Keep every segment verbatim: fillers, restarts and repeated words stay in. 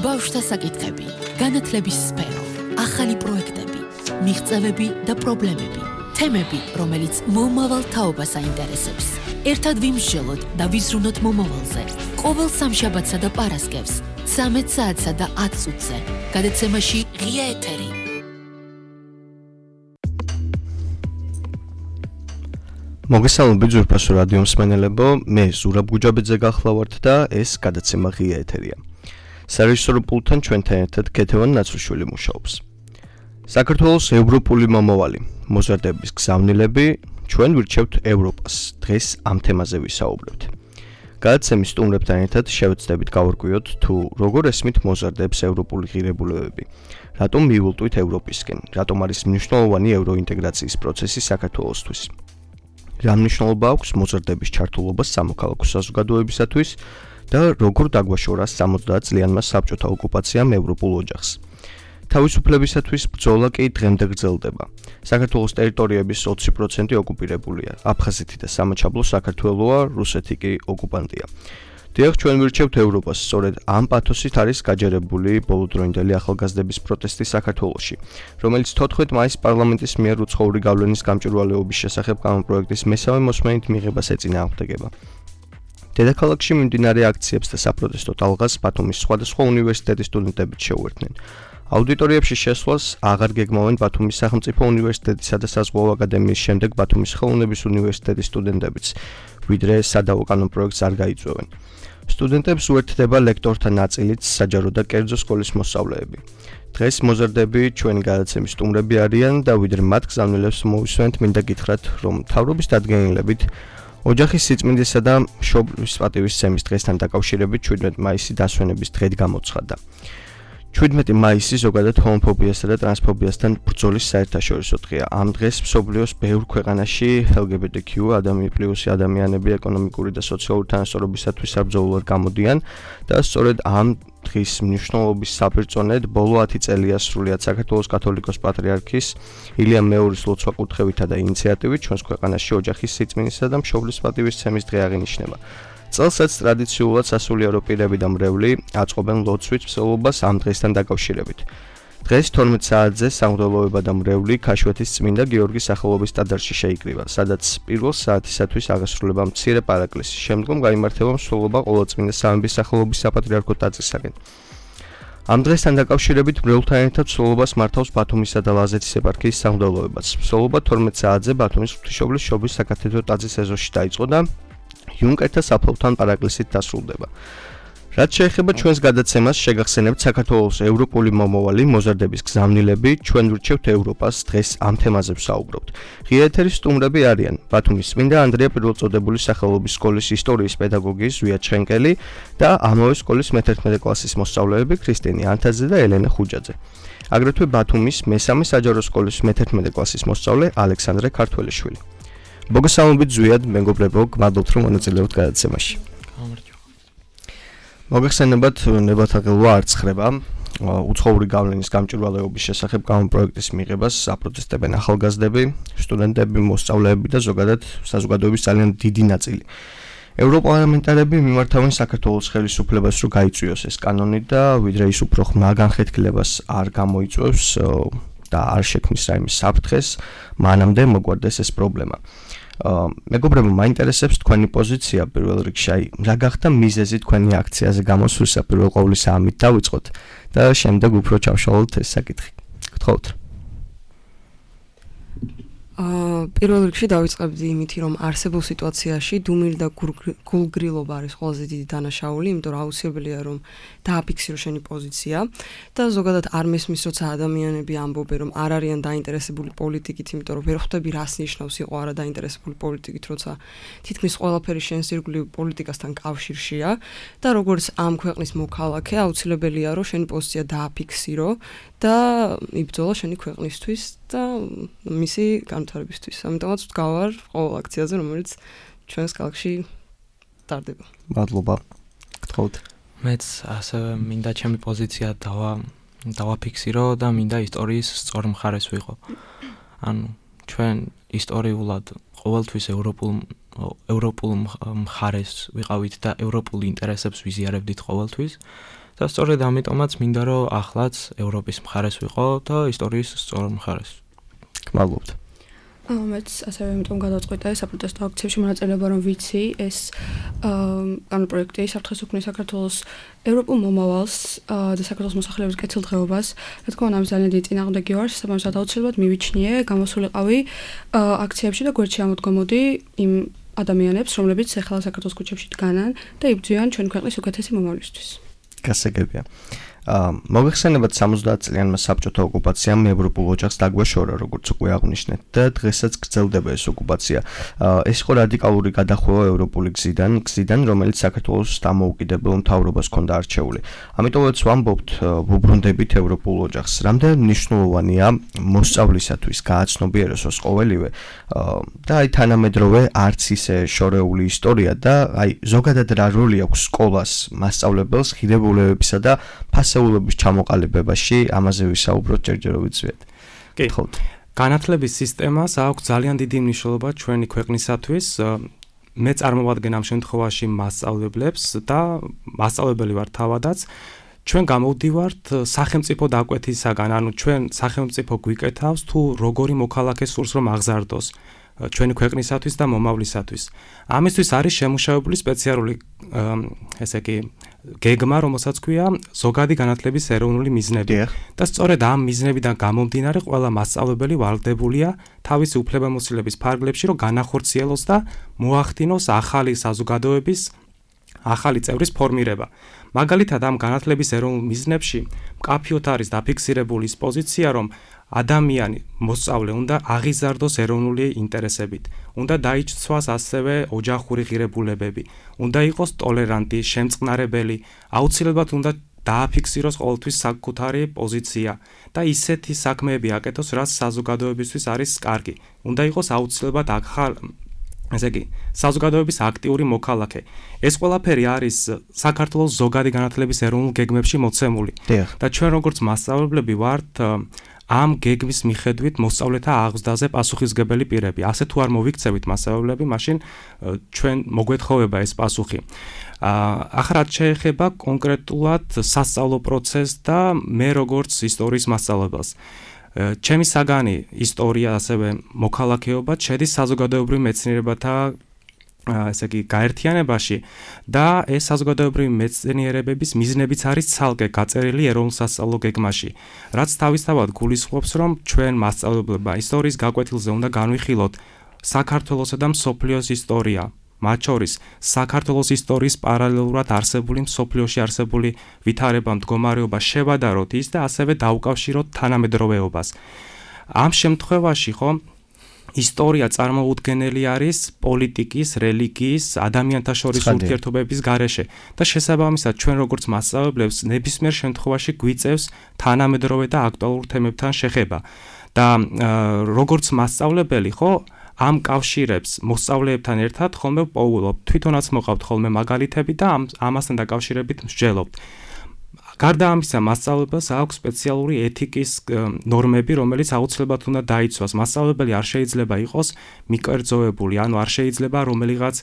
ბავშვთა საკითხები, განათლების სფერო, ახალი პროექტები, მიღწევები და პრობლემები, თემები, რომელიც მომავალ თაობას აინტერესებს. ერთად ვიმსჯელოთ და ვიზრუნოთ მომავალზე. ყოველ სამშაბათსა და პარასკევს, ცამეტ საათსა და ათ წუთზე. გადაცემაში ღია ეთერი. მოგესალმებით ძვირფასო რადიო მსმენელებო, მე ზურაბ გუჯაბიძე გახლავართ და ეს გადაცემა ღია ეთერია. სარეჟისორო პულტთან ჩვენთან ერთად ქეთევან ნაცრუშვილი მუშაობს. საქართველოს ევროპული მომავალი, მოზარდების გზავნილები, ჩვენ ვირჩევთ ევროპას. დღეს ამ თემაზე ვისაუბრებთ. გადაცემის სტუმრებთან ერთად შევეცდებით გავარკვიოთ თუ როგორ ესმით მოზარდებს ევროპული ღირებულებები, რატომ მიულტვით ევროპისკენ, რატომ არის მნიშვნელოვანი ევროინტეგრაციის პროცესი საქართველოსთვის. რა მნიშვნელობა აქვს მოზარდების ჩართულობას სამოქალაქო საზოგადოებისათვის და როგორ დაგვაშორა სამოცდაათ წლიანმა საბჭოთა ოკუპაციამ ევროპულ ოჯახს. თავისუფლებისათვის ბრძოლა კი დღემდე გრძელდება. საქართველოს ტერიტორიების ოცი პროცენტი ოკუპირებულია. აფხაზეთი და სამაჩაბლო საქართველოა, რუსეთი კი ოკუპანტია. დიახ, ჩვენ ვირჩევთ ევროპას, სწორედ ამ პათოსით არის გაჯერებული ბოლოდროინდელი ახალგაზრდების პროტესტი საქართველოში, რომელიც თოთხმეტ მაისს პარლამენტის მიერ უცხოური გავლენის გამჭვირვალეობის შესახებ კანონპროექტის მესამე მოსმენით მიღებას ეწინააღმდეგება. დედაქალაქში მიმდინარე აქციებს და საპროტესტო ტალღას ბათუმის სხვადასხვა უნივერსიტეტის სტუდენტებიც შეუერთდნენ. აუდიტორიებში შესვლას აღარ გეგმავენ ბათუმის სახელმწიფო უნივერსიტეტისა და საზღვაო აკადემიის შემდეგ ბათუმის ხელოვნების უნივერსიტეტის სტუდენტებიც, ვიდრე სადავო კანონპროექტს არ გაიწვევენ. სტუდენტებს უერთდება ლექტორთა ნაწილიც, საჯარო და კერძო სკოლის მოსწავლეები. დღეს მოზარდები ჩვენი გადაცემის სტუმრები არიან და ვიდრე მათ გზავნილებს მოვისვენთ, მინდა გითხრათ, რომ მთავრობის დადგენილებით ოჯახის სიწმინდისა და მშობლის პატივისცემის დღესთან დაკავშირებით შვიდმეტი მაისი დასვენების დღედ გამოცხადდა. შვიდმეტი მაისი ზოგადად ჰომოფობიასა და ტრანსფობიასთან ბრძოლის საერთაშორისო დღეა. ამ დღეს მსოფლიოს ბევრ ქვეყანაში ელ გი ბი ტი კიუ ადამიანი ადამიანები ეკონომიკური და სოციალური თანასწორობისათვის საბრძოლოდ გამოდიან და სწორედ ამ დღის მნიშვნელობის საპირწონედ ბოლო ათი წელია სრულიად საქართველოს კათოლიკოს პატრიარქის ილია მეორის ლოცვა-კურთხევითა და ინიციატივით ჩვენს ქვეყანაში ოჯახის სიწმინდისა და მშობლის პატივისცემის დღე აღინიშნება. წელსაც ტრადიციულად სასულიერო პირები და მრევლი აწყობენ ლოცვით მსვლელობას ამ დღესთან დაკავშირებით. დღეს თორმეტ საათზე სამღვდელოება და მრევლი ქაშვეთის წმინდა გიორგის სახელობის ტაძარში შეიკრიბა, სადაც პირველ საათისათვის აღესრულება მცირე პარაკლისი, შემდგომ გაიმართება მსვლელობა ყოვლადწმინდა სამების სახელობის საპატრიარქო ტაძრისაკენ. ამ დღესთან დაკავშირებით მრევლთან ერთად მსვლელობას მართავს ბათუმისა და ლაზეთის ეპარქიის სამღვდელოებაც. მსვლელობა თორმეტ საათზე ბათუმის ღვთისმშობლის შობის საკათედრო ტაძრის ეზოში დაიწყო და იუნკერთა საფლავთან პარაკლისით დასრულდება. რაც შეეხება ჩვენს გადაცემას, შეგახსენებთ საქართველოს ევროპული მომავალი, მოზარდების გზავნილები, ჩვენ ვირჩევთ ევროპას, დღეს ამ თემაზე ვსაუბრობთ. ღია ეთერის სტუმრები არიან ბათუმის წმინდა ანდრია პირველწოდებულის სახელობის სკოლის ისტორიის პედაგოგი ზვია ჩხენკელი და ამავე სკოლის მეთერთმეტე კლასის მოსწავლეები ქრისტინე ანთაძე და ელენე ხუჯაძე. აგრეთვე ბათუმის მესამე საჯარო სკოლის მეთერთმეტე კლასის მოსწავლე ალექსანდრე ქართველიშვილი. მოგესალმებით ზვიად, მეგობრებო, გმადლობთ რომ მონაწილეობთ გადაცემაში. მოგეხსენებათ, ნებათაღელვა არ ცხრება. უცხოური გავლენის გამჭვირვალეობის შესახებ კანონპროექტის მიღებას აპროტესტებენ ახალგაზრდები, სტუდენტები, მოსწავლეები და ზოგადად საზოგადოების ძალიან დიდი ნაწილი. ევროპარლამენტარები მიმართავენ საქართველოს ხელისუფლებას, რომ გაიწვიოს ეს კანონი და ვიდრე ის უფრო ხმა განხეთქილებას არ გამოიწვევს და არ შექმნის რაიმე საფრთხეს, მანამდე მოგვარდეს ეს პრობლემა. მეგობრებო, მაინტერესებს თქვენი პოზიცია პირველ რიგში, აი, რა გახდა მიზეზი თქვენი აქციაზე გამოსვლისა, პირველ ყოვლისა ამით დავიწყოთ და შემდეგ უფრო ჩავშალოთ ეს საკითხი. გთხოვთ. აა პირველ რიგში დავიწყებდი იმით, რომ არსებულ სიტუაციაში დუმილი და გულგრილობა არის ყველაზე დიდი დანაშაული, იმიტომ რომ აუცილებელია რომ დააფიქსირო შენი პოზიცია და ზოგადად არ მესმის, როცა ადამიანები ამბობენ, რომ არ არიან დაინტერესებული პოლიტიკით, იმიტომ რომ ვერ ხვდები რას ნიშნავს იყო არა დაინტერესებული პოლიტიკით, როცა თითქმის ყველაფერი შენს ირგვლივ პოლიტიკასთან კავშირშია და როგორც ამ ქვეყნის მოქალაქე აუცილებელია რომ შენი პოზიცია დააფიქსირო და იბრძოლა შენი ქვეყნისთვის და მისი განვითარებისთვის. ამიტომაც ვდგავარ ყოველ აქციაზე, რომელიც ჩვენს ქალაქში ტარდება. მადლობა. გთხოვთ. მეც ასევე მინდა ჩემი პოზიცია დავა დავაფიქსირო და მინდა ისტორიის სწორ მხარეს ვიყო. ანუ ჩვენ ისტორიულად ყოველთვის ევროპულ ევროპულ მხარეს ვიყავით და ევროპულ ინტერესებს ვიზიარებდით ყოველთვის და სწორედ ამიტომაც მინდა რომ ახლაც ევროპის მხარეს ვიყო და ისტორიის სწორ მხარეს. გმადლობთ. აა მეც ასევე იმიტომ გადავწყვიტე საპროტესტო აქციებში მონაწილეობა რომ ვიცი ეს ანუ პროექტი საფრთხეს უქმნის საქართველოს ევროპულ მომავალს და საქართველოს მოსახლეობის კეთილდღეობას. რა თქმა უნდა, ამის ძალიან დიდი წინააღმდეგი ვარ, შესაბამისად აუცილებლად მივიჩნიე, გამოსულიყავი აქციებში და გვერდში ამოდგომოდი იმ ადამიანებს, რომლებიც ახლა საქართველოს ქუჩებში დგანან და იბრძვიან ჩვენი ქვეყნის უკეთესი მომავლისთვის. გასაგებია. აა მოგეხსენებათ სამოცდაათ წლიანმა საბჭოთა ოკუპაციამ ევროპულ ოჯახს დაგვეშორა, როგორც უკვე აღნიშნეთ და დღესაც გრძელდება ეს ოკუპაცია. აა ეს იყო რადიკალური გადახვევა ევროპული გზიდან, გზიდან, რომელიც საქართველოს დამოუკიდებელ მთავრობას ჰქონდა არჩეული. ამიტომაც ვამბობთ, ვუბრუნდებით ევროპულ ოჯახს. რამდენ მნიშვნელოვანია მოსწავლისათვის გააცნობიეროს ყოველივე და აი თანამედროვე არც ისე შორეული ისტორია და აი ზოგადად რა როლი აქვს სკოლას მასწავლებელს ღირებულებებისა და ფასეულობის ჩამოყალიბებაში, ამაზე ვისაუბროთ ჯერჯერობით ზვიად. კი, განათლების სისტემას აქვს ძალიან დიდი მნიშვნელობა ჩვენი ქვეყნისათვის. მე წარმოვადგენ ამ შემთხვევაში მასწავლებლებს და მასწავლებელი ვარ თავადაც. ჩვენ გამოვდივართ სახელმწიფო დაკვეთისაგან, ანუ ჩვენ სახელმწიფო გვიკეთავს თუ როგორი მოქალაქე სურს რომ აღზარდოს ჩვენი ქვეყნისათვის და მომავლისათვის. ამისთვის არის შემუშავებული სპეციალური ესე იგი გეგმა, რომელსაც ქვია ზოგადი განათლების ეროვნული მიზნები. და სწორედ ამ მიზნებიდან გამომდინარე ყველა მასწავლებელი ვალდებულია თავისი უფლებამოსილების ფარგლებში, რომ განახორციელოს და მოახდინოს ახალი საზოგადოების ახალი წევრის ფორმირება. მაგალითად, ამ განათლების ეროვნულ მიზნებში მკაფიოდ არის დაფიქსირებული ის პოზიცია, რომ ადამიანი მოსწავლე უნდა აღიზარდოს ეროვნული ინტერესებით, უნდა დაიჩცვას ასევე ოჯახური ღირებულებები, უნდა იყოს ტოლერანტი, შემწყნარებელი, აუცილებლად უნდა დააფიქსიროს ყოველთვის საკუთარი პოზიცია და ისეთი საქმეები აკეთოს, რაც საზოგადოებისთვის არის კარგი. უნდა იყოს აუცილებლად ახალ ესე იგი, საზოგადოების აქტიური მოქალაქე. ეს ყველაფერი არის საქართველოს ზოგადი განათლების ეროვნულ გეგმებში მოცემული. და ჩვენ როგორც მასწავლებლები ვართ ამ გეგმის მიხედვით მოსწავლეთა აღზრდაზე პასუხისმგებელი პირები. ასე თუ არ მოვიქცევით მასწავლებლები, მაშინ ჩვენ მოგვეთხოვება ეს პასუხი. ახლა რაც შეეხება კონკრეტულად სასწავლო პროცესს და მე როგორც ისტორიის მასწავლებელს. ჩემი საგანი ისტორია, ასევე მოქალაქეობა შედის საზოგადოებრივ მეცნიერებათა ესე იგი გაერთიანებაში და ეს საზოგადოებრივი მეცნიერებების მიზნებიც არის ცალკე გაწერილი ეროვნულ სასწავლო გეგმაში, რაც თავისთავად გულისხმობს, რომ ჩვენ მასწავლებლებმა ისტორიის გაკვეთილზე უნდა განვიხილოთ საქართველოსა და მსოფლიოს ისტორია, მათ შორის საქართველოს ისტორიის პარალელურად არსებული მსოფლიოში არსებული ვითარება, მდგომარეობა შევადაროთ ის და ასევე დაუკავშიროთ თანამედროვეობას. ამ შემთხვევაში ხო ისტორია წარმოუდგენელი არის პოლიტიკის, რელიგიის, ადამიანთა შორის ურთიერთობების გარეშე და შესაბამისად ჩვენ როგორც მასწავლებლებს ნებისმიერ შემთხვევაში გვიწევს თანამედროვე და აქტუალურ თემებთან შეხება. და როგორც მასწავლებელი ხო ამ კავშირებს მოსწავლეებთან ერთად ხოლმე პოულობ, თვითონაც მოყავთ ხოლმე მაგალითები და ამ ამასთან დაკავშირებით მსჯელობთ. გარდა ამისა, მასწავლებელს აქვს სპეციალური ეთიკის ნორმები, რომელიც აუცილებლად უნდა დაიცვას. მასწავლებელი არ შეიძლება იყოს მიკერძოებული, ანუ არ შეიძლება რომელიღაც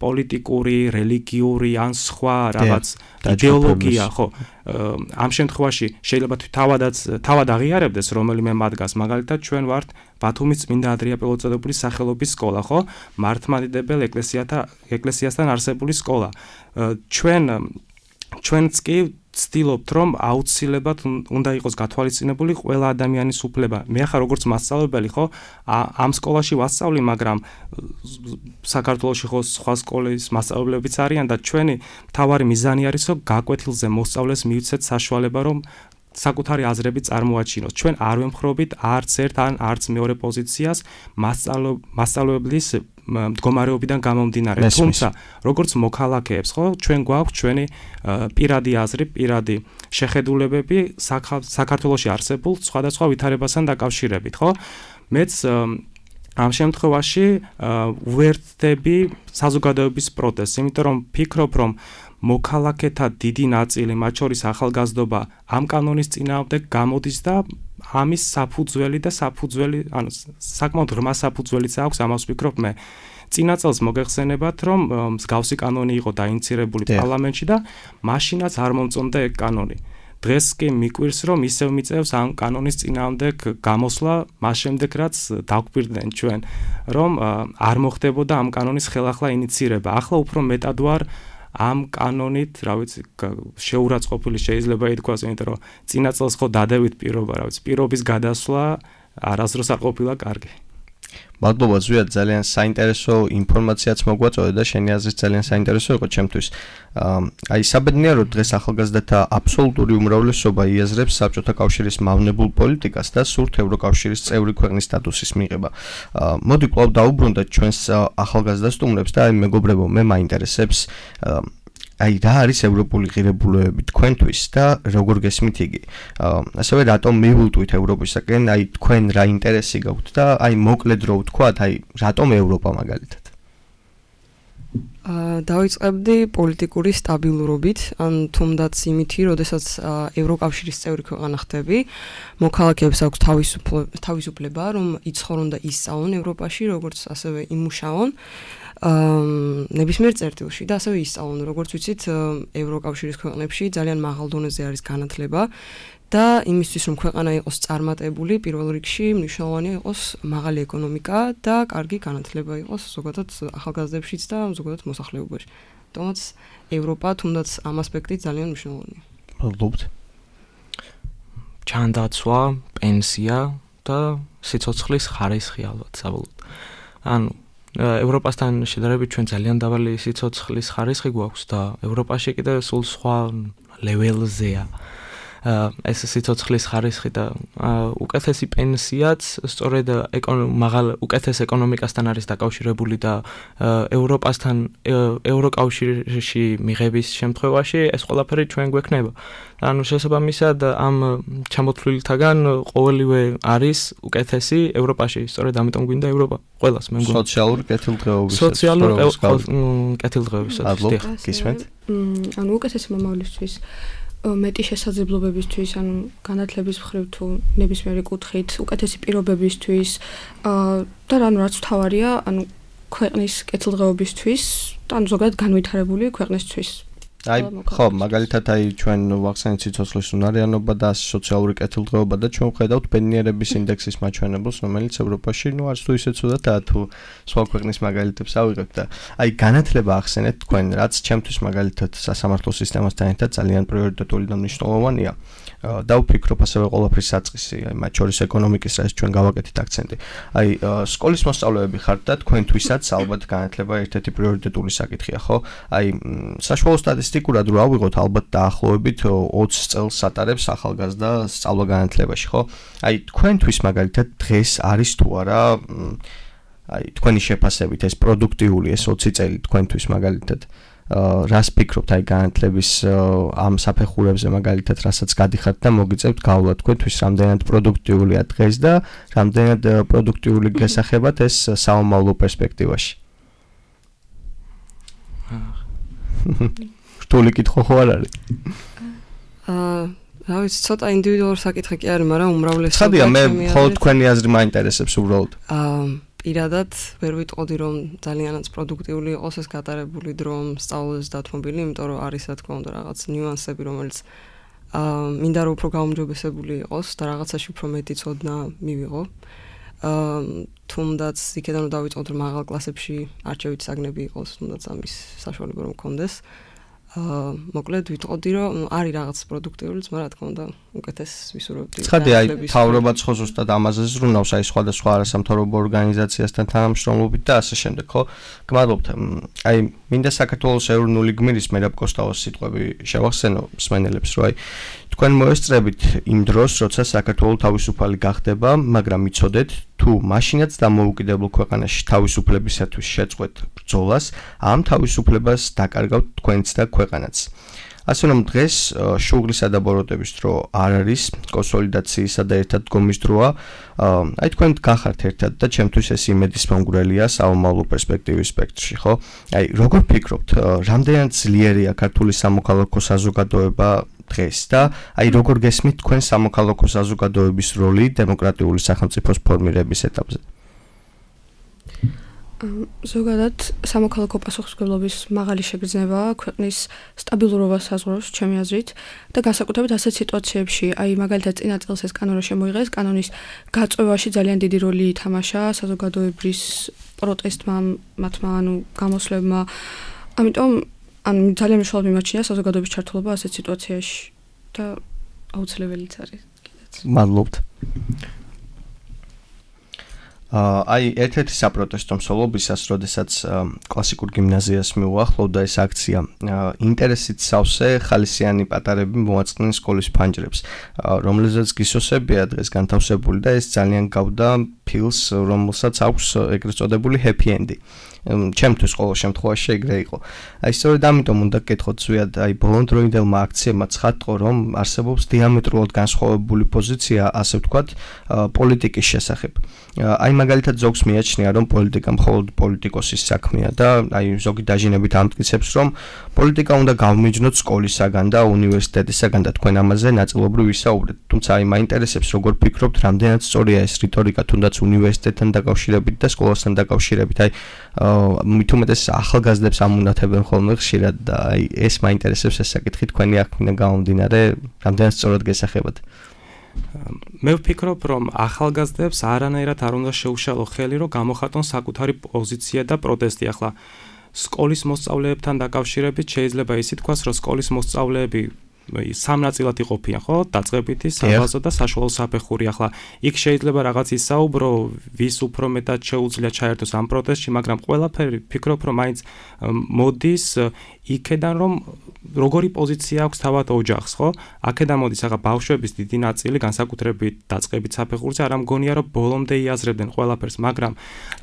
პოლიტიკური, რელიგიური ან სხვა რაღაც იდეოლოგია, ხო. ამ შემთხვევაში შეიძლება თავადაც თავად აღიარებდეს რომელიმე მათგანს. მაგალითად, ჩვენ ვართ ბათუმის წმინდა ანდრია პირველწოდებული სახელობის სკოლა, ხო? მართლმადიდებელ ეკლესიათა ეკლესიასთან არსებული სკოლა. ჩვენ ჩვენც კი ვცდილობთ, რომ აუცილებლად უნდა იყოს გათვალისწინებული ყველა ადამიანის უფლება. მე ახლა როგორც მასწავლებელი ხო ამ სკოლაში ვასწავლი, მაგრამ საქართველოში ხო სხვა სკოლის მასწავლებლებიც არიან და ჩვენი მთავარი მიზანი არის, რომ გაკვეთილზე მოსწავლეს მივცეთ საშუალება, რომ საკუთარი აზრები წარმოაჩინოს. ჩვენ არ ვემხრობით არც ერთ ან არც მეორე პოზიციას მასწავლებლის მდგომარეობიდან გამომდინარე. თუმცა, როგორც მოქალაქეებს, ხო, ჩვენ გვაქვს ჩვენი პირადი აზრი, პირადი შეხედულებები საქართველოში არსებულ სხვადასხვა ვითარებასთან დაკავშირებით, ხო? მეც ამ შემთხვევაში ვუერთდები საზოგადოების პროტესტს, იმიტომ რომ ფიქრობ, რომ მოქალაქეთა დიდი ნაწილი, მათ შორის ახალგაზრდობა, ამ კანონის წინააღმდეგ გამოდის და ამის საფუძველი და საფუძველი, ანუ საკმაოდ ღრმა საფუძველიც აქვს, ამას ვფიქრობ მე. წინა წელს მოგეხსენებათ, რომ მსგავსი კანონი იყო დაინიცირებული პარლამენტში და მაშინაც არ მომწონდა ეგ კანონი. დღეს კი მიკვირს, რომ ისევ მიწევს ამ კანონის წინააღმდეგ გამოსვლა, მას შემდეგ რაც დაგვირდნენ ჩვენ, რომ არ მოხდებოდა ამ კანონის ხელახლა ინიცირება. ახლა უფრო მეტად ვარ ამ კანონით, რა ვიცი, შეურაცხყოფილი შეიძლება ითქვას, იმიტომ რომ წინა წელს ხო დადევით პირობა, რა ვიცი, პირობის გადასვლა არასდროს არ ყოფილა კარგი. მადლობა ზვიად, ძალიან საინტერესო ინფორმაციაც მოგვაწოდე და შენი აზრიც ძალიან საინტერესო იყო ჩემთვის. აი საბედნიეროდ დღეს ახალგაზრდათა აბსოლუტური უმრავლესობა იაზრებს საბჭოთა კავშირის მავნებულ პოლიტიკას და სურთ ევროკავშირის წევრი ქვეყნის სტატუსის მიღება. მოდი კვლავ დაუბრუნდეთ ჩვენს ახალგაზრდა სტუმრებს და აი მეგობრებო, მე მაინტერესებს აი რა არის ევროპული ღირებულებები თქვენთვის და როგორ გესმით იგი. ასევე რატომ მიულტვით ევროპისაკენ, აი თქვენ რა ინტერესი გაქვთ და აი მოკლედ რო ვთქვათ, აი რატომ ევროპა მაგალითად? აა დავიწყებდი პოლიტიკური სტაბილურობით, ან თუნდაც იმითი, როდესაც ევროკავშირის წევრი ქვეყანა ხდები, მოქალაქეებს აქვს თავისუფლება, რომ იცხოვრონ და ისწავლონ ევროპაში, როგორც ასევე იმუშაონ. აა ნებისმიერ წერტილში და ასევე ისწავლონ, როგორც ვიცით, ევროკავშირის ქვეყნებში ძალიან მაღალ დონეზე არის განათლება და იმისთვის, რომ ქვეყანა იყოს წარმატებული, პირველ რიგში მნიშვნელოვანია იყოს მაღალი ეკონომიკა და კარგი განათლება იყოს ზოგადად ახალგაზრდებშიც და ზოგადად მოსახლეობაში. თუმცა ევროპა თუნდაც ამ ასპექტით ძალიან მნიშვნელოვანია. მადლობთ. ჩანდაცვა, პენსია და სიცოცხლის ხარისხი ალბათ საბოლოოდ. ანუ ევროპასთან შედარებით ჩვენ ძალიან დაბალი სიცოცხლის ხარისხი გვაქვს და ევროპაში კიდევ სულ სხვა ლეველზეა ეს სიცოცხლის ხარისხი და უკეთესი პენსიაც სწორედ მაღალ უკეთეს ეკონომიკასთან არის დაკავშირებული და ევროპასთან ევროკავშირში მიღების შემთხვევაში ეს ყველაფერი ჩვენ გვექნება. ანუ შესაბამისად ამ ჩამოთვლილთაგან ყოველივე არის უკეთესი ევროპაში. სწორედ ამიტომ გვინდა ევროპა ყველას მე მგონი. სოციალური კეთილდღეობის. სოციალური კეთილდღეობისაც. გისმენთ? ანუ უკეთესი მომავლისთვის მეტი შესაძლებლობებისთვის, ანუ განათლების მხრივ თუ ნებისმიერი კუთხით, უკეთესი პირობებისთვის და ანუ რაც მთავარია, ანუ ქვეყნის კეთილდღეობისთვის და ანუ ზოგადად განვითარებული ქვეყნისთვის. აი ხო, მაგალითად აი ჩვენ ვახსენეთ სიცოცხლის უნარიანობა და სოციალური კეთილდღეობა და ჩვენ ვხედავთ ბედნიერების ინდექსის მაჩვენებელს, რომელიც ევროპაში ნუ არც თუ ისე ცუდადაა თუ სხვა ქვეყნის მაგალითებს ავიღებთ და აი განათლება ახსენეთ თქვენ, რაც ჩემთვის მაგალითად სასამართლო სისტემასთან ერთად ძალიან პრიორიტეტული და მნიშვნელოვანია. და ვფიქრობ ასევე ყველაფრის საწყისი, აი მათ შორის ეკონომიკის, რაც ჩვენ გავაკეთეთ აქცენტი. აი სკოლის მოსწავლეები ხართ და თქვენთვისაც ალბათ განათლება ერთ-ერთი პრიორიტეტული საკითხია, ხო? აი საშუალო სტატისტიკურად რო ავიღოთ, ალბათ დაახლოებით ოცი წელს ატარებს ახალგაზრდა სწავლა განათლებაში, ხო? აი თქვენთვის მაგალითად დღეს არის თუ არა აი თქვენი შეფასებით ეს პროდუქტიული ეს ოცი წელი თქვენთვის მაგალითად რას ფიქრობთ აი განათლების ამ საფეხურებზე მაგალითად რასაც გადიხართ და მოგიწევთ გავლა თქვენთვის რამდენად პროდუქტიულია დღეს და რამდენად პროდუქტიული გასახებად ეს საომავლო პერსპექტივაში. რთული კითხვა ხო არ არის? აა რა ვიცი, ცოტა ინდივიდუალური საკითხი კი არის, მაგრამ უმრავლესობა ხადია მე მხოლოდ თქვენი აზრი მაინტერესებს უბრალოდ. აა პირადად ვერ ვიტყოდი რომ ძალიანაც პროდუქტიული იყოს ეს გატარებული დრო სწავლების დათმობილი, იმიტომ რომ არის რა თქმა უნდა რაღაც ნიუანსები, რომელიც აა მინდა რომ უფრო გაუმჯობესებული იყოს და რაღაცაში უფრო მეტი ცოდნა მივიღო. აა თუნდაც იქიდან რომ დავიწყოთ რომ მაღალ კლასებში არჩევით საგნები იყოს, თუნდაც ამის საშუალება რომ მქონდეს. აა მოკლედ ვიტყოდი რომ არის რაღაც პროდუქტიულიც, მაგრამ რა თქმა უნდა უკეთეს ვისურვებდი. ცხადი აი თავრობაც ხო ზუსტად ამაზე ზრუნავს აი სხვადასხვა არასამთავრობო ორგანიზაციასთან თანამშრომლობით და ასე შემდეგ, ხო? გმადლობთ. აი მინდა საქართველოს ეროვნული გმირის მერაბ კოსტავოს სიტყვები შევახსენო მსმენელებს, რომ აი თქვენ მოესწრებით იმ დროს, როცა საქართველო თავისუფალი გახდება, მაგრამ იცოდეთ თუ მაშინაც დამოუკიდებელ ქვეყანაში თავისუფლებისათვის შეწყვეტ ბრძოლას, ამ თავისუფლებას დაკარგავთ თქვენც და ქვეყანაც. ასე რომ დღეს შუღლისა და ბოროტების დრო არ არის, კონსოლიდაციისა და ერთად დგომის დროა. აი თქვენ გახართ ერთად და ჩემთვის ეს იმედის მომგვრელია საომავლო პერსპექტივის სპექტრში, ხო? აი როგორ ფიქრობთ, რამდენად ძლიერია ქართული სამოქალაქო საზოგადოება დღეს და აი როგორ გესმით თქვენ სამოქალაქო საზოგადოების როლი დემოკრატიული სახელმწიფოს ფორმირების ეტაპზე? ზოგადად სამოქალაქო პასუხისმგებლობის მაღალი შეგრძნება ქვეყნის სტაბილურობას საზღვრავს ჩემი აზრით და განსაკუთრებით ასეთ სიტუაციებში, აი მაგალითად წინა წელს ეს კანონი შემოიღეს, კანონის გაწევაში ძალიან დიდი როლი ითამაშა საზოგადოების პროტესტმა, მათმა ანუ გამოსვლებმა. ამიტომ ან ძალიან მნიშვნელოვანი მიმაჩნია საზოგადოების ჩართულობა ასეთ სიტუაციაში და აუცილებელიც არის კიდეც. მადლობთ. აი ერთ-ერთი საპროტესტო მსვლელობისას, როდესაც კლასიკურ გიმნაზიას მიუახლოვდა ეს აქცია, ინტერესით სავსე ხალისიანი პატარები მოაწყდნენ სკოლის ფანჯრებს, რომლezაც გისოსებია დღეს განთავსებული და ეს ძალიან გავდა ფილს, რომელსაც აქვს ეგრეთ წოდებული happy end-ი. ჩემთვის ყოველ შემთხვევაში ეგრე იყო. აი სწორედ ამიტომ უნდა გკითხოთ ზვიად, აი ბოლონდროინდელმა აქციებმა ცხადყო, რომ არსებობს დიამეტრულად განსხვავებული პოზიცია, ასე ვთქვათ, პოლიტიკის შესახებ. აი მაგალითად ზოგს მიაჩნია, რომ პოლიტიკა მხოლოდ პოლიტიკოსის საქმეა და აი ზოგი დაჟინებით ამტკიცებს, რომ პოლიტიკა უნდა გავმიჯნოთ სკოლისაგან და უნივერსიტეტისაგან და თქვენ ამაზე ნაწილობრივ ვისაუბრეთ. თუმცა აი მაინტერესებს, როგორ ფიქრობთ, რამდენად სწორია ეს რიტორიკა თუნდაც უნივერსიტეტთან დაკავშირებით და სკოლასთან დაკავშირებით. აი მით უმეტეს ახალგაზრდებს ამუნათებენ ხოლმე ხშირად და აი ეს მაინტერესებს ეს საკითხი თქვენი აქმნა გამომდინარე, რამდენად სწორად გესახებათ. მე ვფიქრობ, რომ ახალგაზრდებს არანაირად არ უნდა შეუშალო ხელი, რომ გამოხატონ საკუთარი პოზიცია და პროტესტი. ახლა სკოლის მოსწავლეებთან დაკავშირებით შეიძლება ისე თქვას, რომ სკოლის მოსწავლეები სამ ნაწილად იყოფიან, ხო? დაწყებითი, საბაზო და საშუალო საფეხური. ახლა იქ შეიძლება რაღაც ისაუბრო, ვის უფრო მეტად შეუძლია ჩაერთოს ამ პროტესტში, მაგრამ ყველაფერი ფიქრობ, რომ მაინც მოდის იქედან, რომ როგორი პოზიცია აქვს თავად ოჯახს, ხო? აქედან მოდის ახლა ბავშვების დიდი ნაწილი, განსაკუთრებით დაწყებით საფეხურზე, არ მგონია, რომ ბოლომდე იაზრებდნენ ყველაფერს, მაგრამ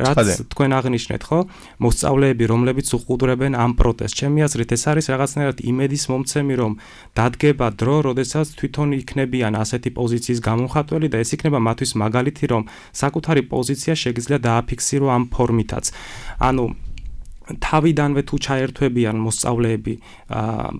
რაც თქვენ აღნიშნეთ, ხო? მოსწავლეები, რომლებიც უყურებენ ამ პროტესტს, ჩემი აზრით ეს არის რაღაცნაირად იმედის მომცემი, რომ დადგება დრო, როდესაც თვითონ იქნებიან ასეთი პოზიციის გამომხატველი და ეს იქნება მათთვის მაგალითი, რომ საკუთარი პოზიცია შეგიძლია დააფიქსირო ამ ფორმითაც. ანუ თავიდანვე თუ ჩაერთვებიან მოსწავლეები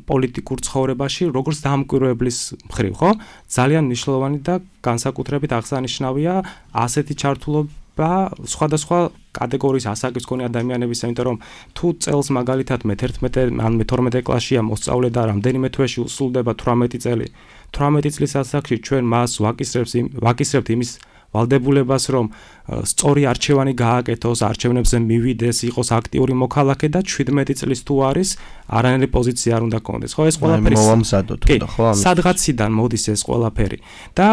პოლიტიკურ ცხოვრებაში, როგორც დამკვირვებლის მხრივ, ხო? ძალიან მნიშვნელოვანი და განსაკუთრებით აღსანიშნავია ასეთი ჩართულობა სხვადასხვა კატეგორიის ასაკის მქონე ადამიანების, იმიტომ რომ თუ წელს მაგალითად მე-თერთმეტე ან მე-თორმეტე კლასშია მოსწავლე და რამდენიმე თვეში უსრულდება თვრამეტი წელი, თვრამეტი წლის ასაკში ჩვენ მას ვაკისრებთ ვაკისრებთ იმის ვალდებულებას, რომ სწორი არჩევანი გააკეთოს, არჩევნებზე მივიდეს, იყოს აქტიური მოქალაქე და შვიდმეტი წლის თუ არის, არანაირი პოზიცია არ უნდა კონდეს. ხო, ეს ყველაფერი მოვამზადოთ და ხო ამის. სადღაციდან მოდის ეს ყველაფერი და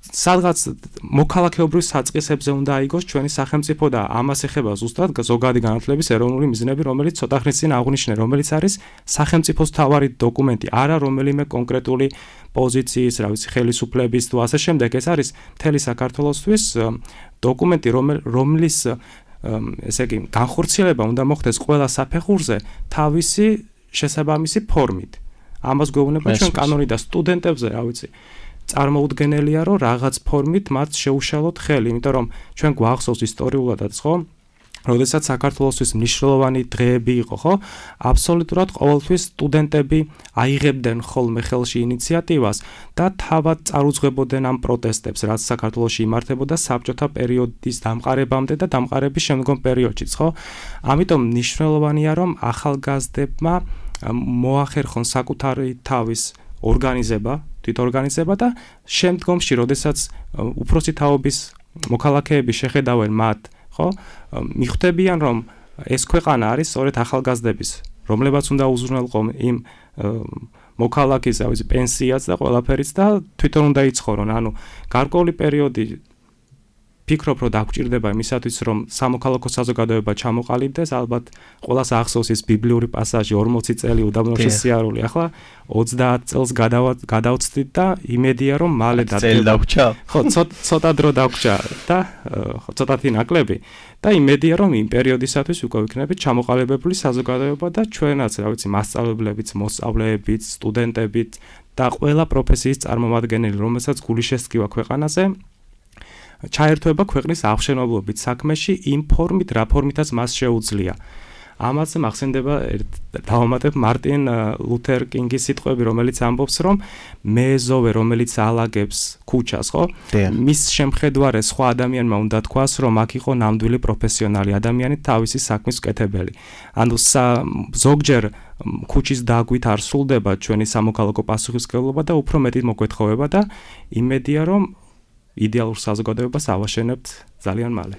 სადღაც მოქალაქეობრივ საწყისებზე უნდა აიგოს ჩვენი სახელმწიფო და ამას ეხება ზუსტად ზოგადი განათლების ეროვნული მიზნები, რომელიც ცოტა ხნის წინ აღვნიშნე, რომელიც არის სახელმწიფოს მთავარი დოკუმენტი, არა რომელიმე კონკრეტული პოზიციის, რა ვიცი, ხელისუფლების თუ ასე შემდეგ. ეს არის მთელი საქართველოსთვის დოკუმენტი, რომლის ესე იგი განხორციელება უნდა მოხდეს ყველა საფეხურზე თავისი შესაბამისი ფორმით. ამას გვეუბნება ჩვენ კანონი და სტუდენტებზე, რა ვიცი, წარმოუდგენელია, რომ რაღაც ფორმით მათ შეუშალოთ ხელი, იმიტომ რომ ჩვენ გვახსოვს ისტორიულადაც, ხო? როდესაც საქართველოსთვის მნიშვნელოვანი დღეები იყო, ხო? აბსოლუტურად ყოველთვის სტუდენტები აიღებდნენ ხოლმე ხელში ინიციატივას და თავად წარუძღვებოდნენ ამ პროტესტებს, რაც საქართველოში იმართებოდა საბჭოთა პერიოდის დამყარებამდე და დამყარების შემდგომ პერიოდშიც, ხო? ამიტომ მნიშვნელოვანია, რომ ახალგაზრდებმა მოახერხონ საკუთარი თავის ორგანიზება, თვითორგანიზება და შემდგომში, როდესაც უფროსი თაობის მოქალაქეები შეხედავენ მათ, ხო? მიხვდებიან, რომ ეს ქვეყანა არის სწორედ ახალგაზრდების, რომლებაც უნდა უზრუნველყონ იმ მოქალაქის, რა ვიცი, პენსიაც და ყველაფერიც და თვითონ უნდა იცხოვრონ. ანუ გარკვეული პერიოდი ფიქრობ, რომ დაგჭირდება იმისათვის, რომ სამოქალაქო საზოგადოება ჩამოყალიბდეს, ალბათ ყველას ახსოვს ის ბიბლიური პასაჟი ორმოცი წელი უდაბნო შესიარული. ახლა ოცდაათ წელს გადავწდით და იმედია, რომ მალე დადგება. ხო, ცოტა დრო დაგვრჩა და ცოტათი ნაკლები და იმედია, რომ იმ პერიოდისათვის უკვე ვიქნებით ჩამოყალიბებული საზოგადოება და ჩვენაც, რა ვიცი, მასწავლებლებიც, მოსწავლეებიც, სტუდენტებიც და ყველა პროფესიის წარმომადგენელი, რომელსაც გული შესკივა ქვეყანაზე, ჩაერთვება ქვეყნის აღშენებლობით საქმეში იმ ფორმით, რა ფორმითაც მას შეუძლია. ამაზე მახსენდება დავამატებ მარტინ ლუთერ კინგის სიტყვები, რომელიც ამბობს, რომ მეზოვე, რომელიც ალაგებს ქუჩას, ხო? მის შემხედვარე სხვა ადამიანმა უნდა თქვას, რომ აქ იყო ნამდვილი პროფესიონალი ადამიანი, თავისი საქმის მკეთებელი. ანუ ზოგჯერ ქუჩის დაგვით არ სრულდება ჩვენი სამოქალაქო პასუხისმგებლობა და უფრო მეტი მოგვეთხოვება და იმედია, რომ იდეალურ საზოგადოებას ავაშენებთ ძალიან მალე.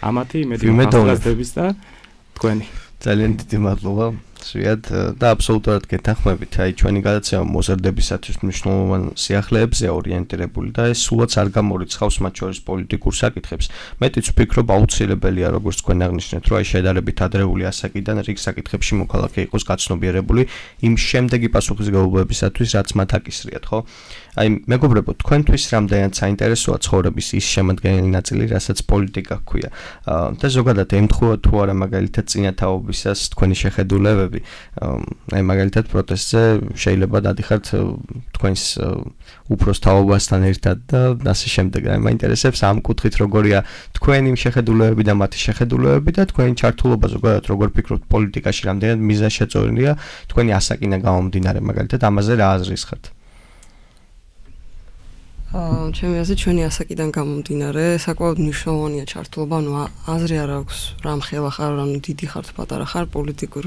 ამათი იმედი მაქვს და თქვენი ძალიან დიდი მადლობა. სვიად და აბსოლუტურად გეთანხმებით. აი ჩვენი გადაცემა მოზარდებისათვის მნიშვნელოვან სიახლეებზე ორიენტირებული და ეს სულაც არ გამორიცხავს მათ შორის პოლიტიკურ საკითხებს. მეტიც ვფიქრობ აუცილებელია როგორც თქვენ აღნიშნეთ, რომ აი შედარებით ადრეული ასაკიდან რიგ საკითხებში მოქალაქე იყოს გაცნობიერებული იმ შემდეგი პასუხისმგებლობებისათვის, რაც მათ აკისრიათ, ხო? აი მეგობრებო, თქვენთვის რამდენად საინტერესოა ცხოვრების ის შემადგენელი ნაწილი, რასაც პოლიტიკა ჰქვია. და ზოგადად ემთხვევა თუ არა მაგალითად წინათაობისას თქვენი შეხედულებები აი მაგალითად პროტესტზე შეიძლება დადიხართ თქვენს უფროს თაობასთან ერთად და ასე შემდეგ. აი მაინტერესებს ამ კუთხით როგორია თქვენი შეხედულებები და მათი შეხედულებები და თქვენი ჩართულობა ზოგადად როგორ ფიქრობთ პოლიტიკაში რამდენად მიზანშეწონილია თქვენი ასაკიდან გამომდინარე მაგალითად ამაზე რა აზრის ხართ? აა ჩემი აზრით ჩვენი ასაკიდან გამომდინარე საკმაოდ მნიშვნელოვანია ჩართულობა, ანუ აზრი არ აქვს რამ ხელა ხარ, ანუ დიდი ხარ თუ პატარა ხარ პოლიტიკურ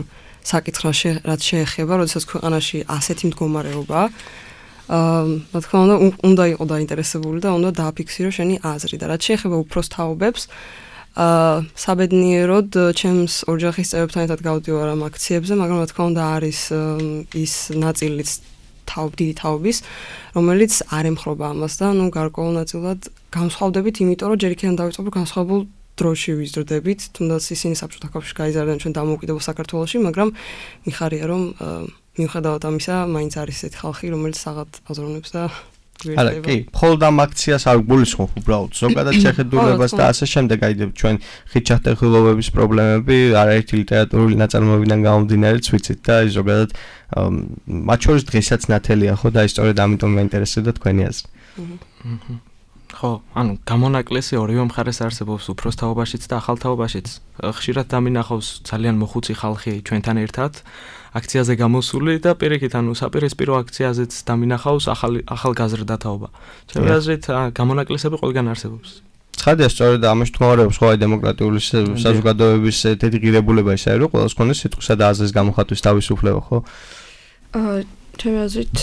საკითხში, რაც შეეხება, როდესაც ქვეყანაში ასეთი მდგომარეობაა. აა რა თქმა უნდა, უნდა იყო დაინტერესებული და უნდა დააფიქსირო შენი აზრი და რაც შეეხება უფროს თაობებს, აა საბედნიეროდ ჩემს ოჯახის წევრებთან ერთად გავდივარ ამ აქციებზე, მაგრამ რა თქმა უნდა არის ის ნაწილიც თაობ დიდი თაობის, რომელიც არ ემხრობა ამას და ნუ გარკვეულ ნაწილად განსხვავდებით, იმიტომ რომ ჯერ იქიდან დავიწყებ რომ განსხვავებულ დროში ვიზრდებით, თუნდაც ისინი საბჭოთა კავშირში გაიზარდნენ ჩვენ დამოუკიდებელ საქართველოში, მაგრამ მიხარია რომ მიუხედავად ამისა, მაინც არის ესეთი ხალხი, რომელიც საღად აზროვნებს და არა, კი, მხოლოდ ამ აქციას არ გულისხმობ უბრალოდ ზოგადად შეხედულებას და ასე შემდეგ, აი ჩვენ ხიჩახტეხილობების პრობლემები არაერთი ლიტერატურული ნაწარმოებიდან გამომდინარეც ვიცით და აი ზოგადად მათ შორის დღესაც ნათელია ხო და აი სწორედ ამიტომ მაინტერესებდა თქვენი აზრი. ხო, ანუ გამონაკლისი ორივე მხარეს არსებობს უფროს თაობაშიც და ახალ თაობაშიც. ხშირად დამინახავს ძალიან მოხუცი ხალხი ჩვენთან ერთად აქციაზე გამოსული და პირიქით, ანუ საპირისპირო აქციაზეც დამინახავს ახალი ახალგაზრდა თაობა. ჩემი აზრით, გამონაკლისები ყველგან არსებობს. ცხადია, სწორედ ამაში თქმარებს ხო აი დემოკრატიული საზოგადოების თეთრი ღირებულება ისაა, რომ ყველას ქონდეს სიტყვისა და აზრის გამოხატვის თავისუფლება, ხო? აა ჩემი აზრით,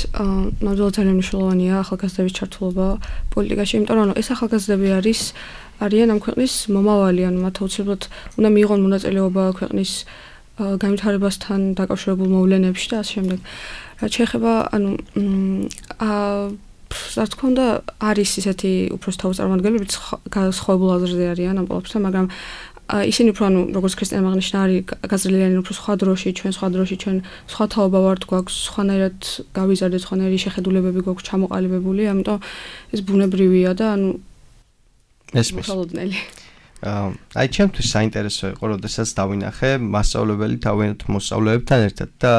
ნამდვილად ძალიან მნიშვნელოვანია ახალგაზრდების ჩართულობა პოლიტიკაში, იმიტომ რომ ეს ახალგაზრდები არის არიან ამ ქვეყნის მომავალი, ანუ მათ აუცილებლად უნდა მიიღონ მონაწილეობა ქვეყნის განვითარებასთან დაკავშირებულ მოვლენებში და ასე შემდეგ. რაც შეეხება, ანუ აა რა თქმა უნდა არის ისეთი უფროს თაობის წარმომადგენლები, სხვაებულ აზრზე არიან ამ ყველაფერთან, მაგრამ ისინი უფრო ანუ როგორც ქრისტიანმა აღნიშნა არის გაზრდილიანი უფრო სხვა დროში, ჩვენ სხვა დროში, ჩვენ სხვა თაობა ვართ, გვაქვს სხვანაირად გავიზარდეთ, სხვანაირი შეხედულებები გვაქვს ჩამოყალიბებული, ამიტომ ეს ბუნებრივია და ანუ ესმის. აი ჩემთვის საინტერესო იყო, როდესაც დავინახე მასწავლებელი თავიანთ მოსწავლეებთან ერთად და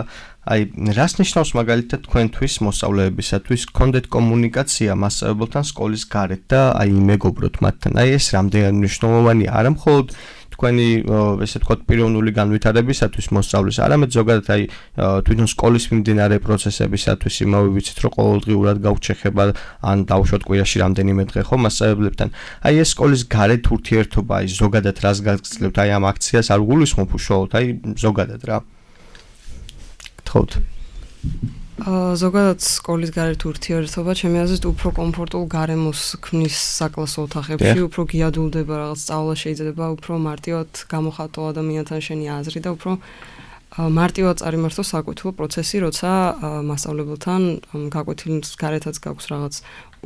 აი რას ნიშნავს მაგალითად თქვენთვის მოსწავლეებისათვის გქონდეთ კომუნიკაცია მასწავლებელთან სკოლის გარეთ და აი მეგობროთ მათთან. აი ეს რამდენად მნიშვნელოვანია არა მხოლოდ თქვენი ესე ვთქვათ პიროვნული განვითარებისათვის მოსწავლის, არამედ ზოგადად აი თვითონ სკოლის მიმდინარე პროცესებისათვის იმავე ვიცით რომ ყოველდღიურად გაქვთ შეხება ან დავუშვათ კვირაში რამდენიმე დღე ხო მასწავლებლებთან. აი ეს სკოლის გარეთ ურთიერთობა აი ზოგადად რას გაგრძელებთ აი ამ აქციას არ გულისხმობ უშუალოდ აი ზოგადად რა. გთხოვთ. აა ზოგადად სკოლის გარეთ ურთიერთობა ჩემი აზრით უფრო კომფორტულ გარემოს ქმნის საკლასო ოთახებში, უფრო გიადულდება რაღაც სწავლა შეიძლება უფრო მარტივად გამოხატო ადამიანთან შენი აზრი და უფრო მარტივად წარიმართო საკუთრივ პროცესი, როცა მასწავლებელთან გაკვეთილ გარეთაც გაქვს რაღაც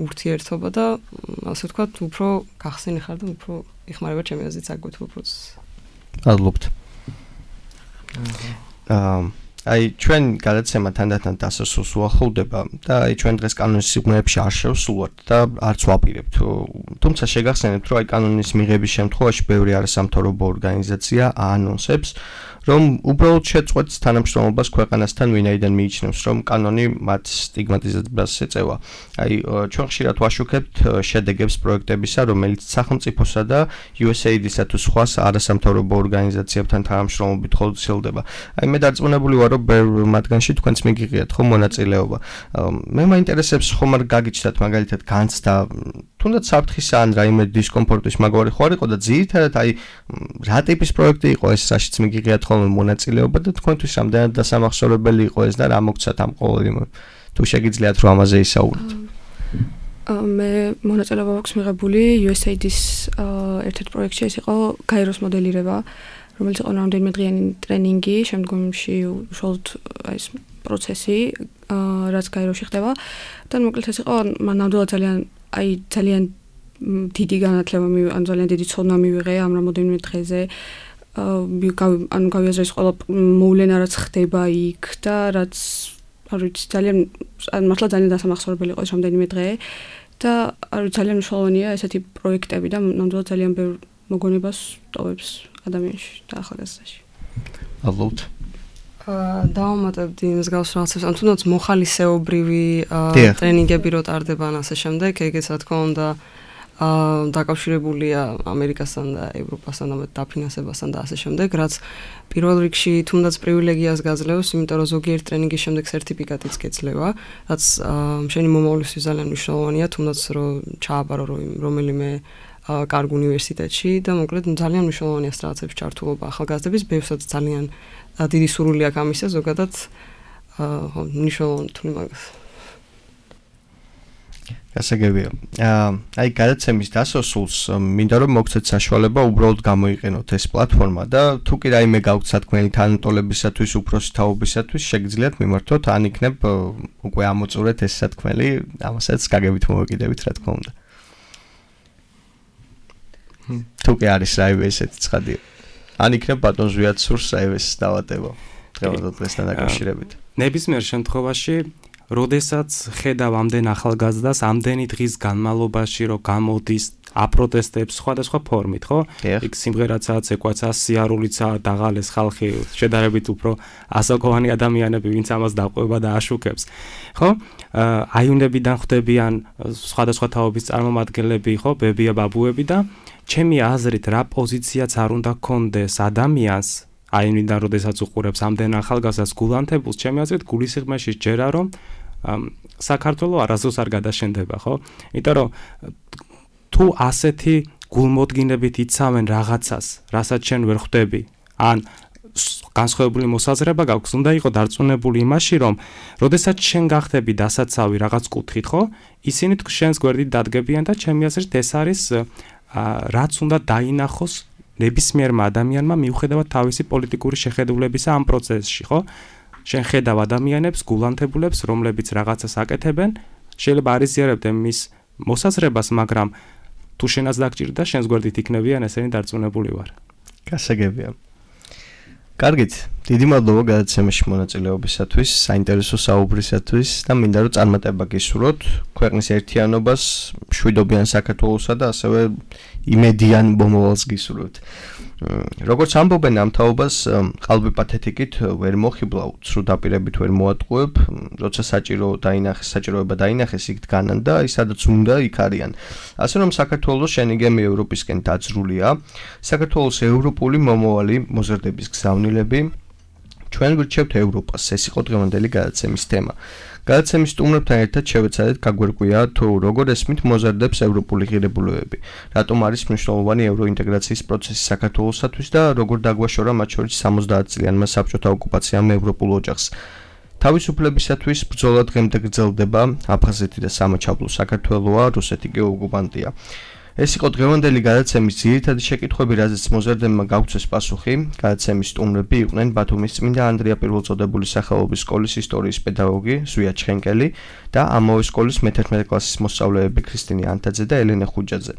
ურთიერთობა და ასე ვთქვათ, უფრო გახსენი ხარ და უფრო იხმარება ჩემი აზრით საკუთრივ პროცესი. მადლობთ. აა აი ჩვენ გადაცემა თანდათან დასასრულს უახლოვდება და აი ჩვენ დღეს კანონის სიღრმეებში არ შევსულვართ და არც ვაპირებთ. თუმცა შეგახსენებთ, რომ აი კანონის მიღების შემთხვევაში ბევრი არასამთავრობო ორგანიზაცია აანონსებს, რომ უბრალოდ შეწყვეტს თანამშრომლობას ქვეყანასთან, ვინაიდან მიიჩნევს, რომ კანონი მათ სტიგმატიზებას ეწევა. აი ჩვენ ხშირად ვაშუქებთ შედეგებს პროექტებისა, რომელიც სახელმწიფოსა და იუ ეს ეი დი-სა თუ სხვა არასამთავრობო ორგანიზაციებთან თანამშრომლობით ხორციელდება. აი მე დარწმუნებული ვარ, რომ ბევრ მათგანში თქვენც მიგიღიათ ხო მონაწილეობა. მე მაინტერესებს ხომ არ გაგიჩნდათ მაგალითად განცდა თუნდაც საფრთხისა ან რაიმე დისკომფორტის მაგვარი ხო არ იყო და ძირითადად აი რა ტიპის პროექტი იყო ეს, რაშიც მიგიღიათ ხოლმე მონაწილეობა და თქვენთვის რამდენად დასამახსოვრებელი იყო ეს და რა მოგცათ ამ ყოველივე თუ შეგიძლიათ რომ ამაზე ისაუბროთ. მე მონაწილეობა აქვს მიღებული იუ ეს ეი დი-ის ერთ-ერთ პროექტში, ეს იყო გაეროს მოდელირება, რომელიც იყო რამდენიმე დღიანი ტრენინგი, შემდგომში უშუალოდ ეს პროცესი, რაც გაეროში ხდება და მოკლედ ეს იყო ნამდვილად ძალიან აი ძალიან დიდი განათლება, ან ძალიან დიდი ცოდნა მივიღე ამ რამოდენიმე დღეზე. ანუ გავიაზრეს ყველა მოვლენა რაც ხდება იქ და რაც არ ვიცი ძალიან მართლა ძალიან დასამახსოვრებელი იყო ეს რამდენიმე დღე და არ ვიცი ძალიან მნიშვნელოვანია ესეთი პროექტები და ნამდვილად ძალიან ბევრ მოგონებას ტოვებს ადამიანში და ახალგაზრდაში. ალბათ დავამატებდი იმის გავს რაღაცებს, ან თუნდაც მოხალისეობრივი ტრენინგები რო ტარდება ან ასე შემდეგ, ეგეც რა თქმა უნდა აა დაკავშირებულია ამერიკასთან და ევროპასთან და დაფინანსებასთან და ასე შემდეგ, რაც პირველ რიგში თუნდაც პრივილეგიას გაძლევს, იმიტომ რომ ზოგიერთ ტრენინგის შემდეგ სერტიფიკატიც გეძლევა, რაც შენი მომავლისთვის ძალიან მნიშვნელოვანია, თუნდაც რომ ჩააბარო რომელიმე კარგ უნივერსიტეტში და მოკლედ ძალიან მნიშვნელოვანია სტრატეგიების ჩართულობა ახალგაზრდების, ბევრსაც ძალიან დიდი სურვილი აქვს ამისა, ზოგადად ხო მნიშვნელოვანი თუ მაგას გასაგებია. აი გადაცემის დასასრულს მინდა რომ მოგცეთ საშუალება უბრალოდ გამოიყენოთ ეს პლატფორმა და თუ კი რაიმე გაქვთ სათქმელი თანატოლებისათვის, უფროსი თაობისათვის, შეგიძლიათ მიმართოთ, ან იქნებ უკვე ამოწურეთ ეს სათქმელი, ამასაც გაგებით მოვეკიდებით, რა თქმა უნდა. თუ კი არის რაიმე ესეთი ცხადია. ან იქნებ ბატონ ზვიად სურს რაიმეს დავატება დღევანდელ დღესთან დაკავშირებით. ნებისმიერ შემთხვევაში როდესაც ხედავ ამდენ ახალგაზრდას ამდენი დღის განმავლობაში რომ გამოდის აპროტესტებს სხვადასხვა ფორმით, ხო? იქ სიმღერაცაც ეკვაცა, სიარულიცა, დაღალეს ხალხი, შედარებით უფრო ასაკოვანი ადამიანები, ვინც ამას დაყვება და აშუქებს. ხო? აიუნებიდან ხვდებიან სხვადასხვა თაობის წარმომადგენლები, ხო, ბებია, ბაბუები და ჩემი აზრით რა პოზიციაც არ უნდა გქონდეს ადამიანს აინიდან როდესაც უყურებს ამდენ ახალგაზრდას გულანთებულს, ჩემი აზრით გულისიღრმეში ჯერა რომ საქართველოს არასდროს არ გადაშენდება, ხო? იმიტომ რომ თუ ასეთი გულმოდგინებით იცავენ რაღაცას, რასაც შენ ვერ ხვდები, ან განსხვავებული მოსაზრება გაქვს, უნდა იყო დარწმუნებული იმაში, რომ როდესაც შენ გახდები დასაცავი რაღაც კუთხით, ხო? ისინი შენს გვერდით დადგებიან და ჩემი აზრით ეს არის რაც უნდა დაინახოს ნებისმიერმა ადამიანმა მიუხედავად თავისი პოლიტიკური შეხედულებისა ამ პროცესში, ხო? შენ ხედავ ადამიანებს, გულანთებულებს, რომლებიც რაღაცას აკეთებენ, შეიძლება არ იზიარებდე მის მოსაზრებას, მაგრამ თუ შენაც დაგჭირდა, შენს გვერდით იქნებიან, ესენი დარწმუნებული ვარ. გასაგებია. კარგით, დიდი მადლობა გადაცემაში მონაწილეობისათვის, საინტერესო საუბრისათვის და მინდა რომ წარმატება გისურვოთ ქვეყნის ერთიანობას, მშვიდობიან საქართველოსა და ასევე იმედიან მომავალს გისურვოთ. როგორც ამბობენ ამ თაობას, ყალბი პათეტიკით ვერ მოხიბლავ, ცრუ დაპირებით ვერ მოატყუებ, როცა საჭირო დაინახეს, საჭიროება დაინახეს, იქ დგანან და ის სადაც უნდა იქ არიან. ასე რომ საქართველოს შენიგემი ევროპისკენ დაძრულია, საქართველოს ევროპული მომავალი მოზრდების გზავნილები, ჩვენ გვირჩევთ ევროპას, ეს იყო დღევანდელი გადაცემის თემა. გადაცემის სტუმრებთან ერთად შევეცადეთ გაგვერკვია თუ როგორ ესმით მოზარდებს ევროპული ღირებულებები, რატომ არის მნიშვნელოვანი ევროინტეგრაციის პროცესი საქართველოსათვის და როგორ დაგვაშორა მათ შორის სამოცდაათ წლიანმა საბჭოთა ოკუპაციამ ევროპულ ოჯახს. თავისუფლებისათვის ბრძოლა დღემდე გრძელდება, აფხაზეთი და სამაჩაბლო საქართველოა, რუსეთი კი ოკუპანტია. ეს იყო დღევანდელი გადაცემის ძირითადი შეკითხვები, რაზეც მოზარდებმა გაგვცეს პასუხი. გადაცემის სტუმრები იყვნენ ბათუმის წმინდა ანდრია პირველწოდებული სახელობის სკოლის ისტორიის პედაგოგი ზვია ჩხენკელი და ამავე სკოლის მეთერთმეტე კლასის მოსწავლეები ქრისტინე ანტაძე და ელენე ხუჯაძე.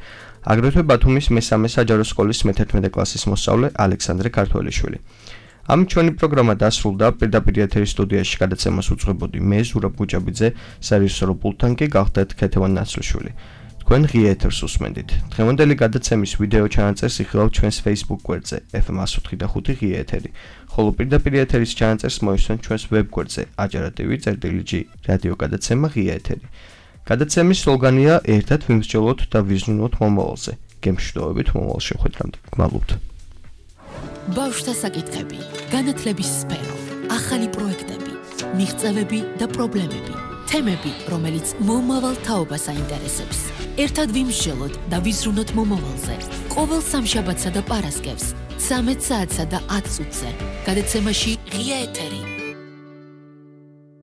აგრეთვე ბათუმის მესამე საჯარო სკოლის მეთერთმეტე კლასის მოსწავლე ალექსანდრე ქართველიშვილი. ამით ჩვენი პროგრამა დასრულდა. პირდაპირ ეთერის სტუდიაში გადაცემას უძღვებოდი მე ზურაბ გუჯაბიძე, სარეჟისორო პულტთან კი გახდეთ ქეთევან ნაცრიშვილი. თქვენ ღია ეთერს უსმენდით. დღევანდელი გადაცემის ვიდეო ჩანაწერს იხილავთ ჩვენს Facebook გვერდზე ეფ ემ one oh five ღია ეთერი, ხოლო პირდაპირ ეთერის ჩანაწერს მოისმენთ ჩვენს ვებ გვერდზე ajarativi.gr რადიო გადაცემა ღია ეთერი. გადაცემის სლოგანია ერთად ვიმსჯელოთ და ვიზრუნოთ მომავალზე. გემშვიდობებით მომავალ შეხვედრამდე. გმადლობთ. ბავშვთა საკითხები, განათლების სფერო, ახალი პროექტები, მიღწევები და პრობლემები, თემები, რომელიც მომავალ თაობას აინტერესებს. ერთად ვიმსჯელოთ და ვიზრუნოთ მომავალზე. ყოველ სამშაბათსა და პარასკევს, ცამეტ საათსა და ათ წუთზე. გადაცემაში ღია ეთერი.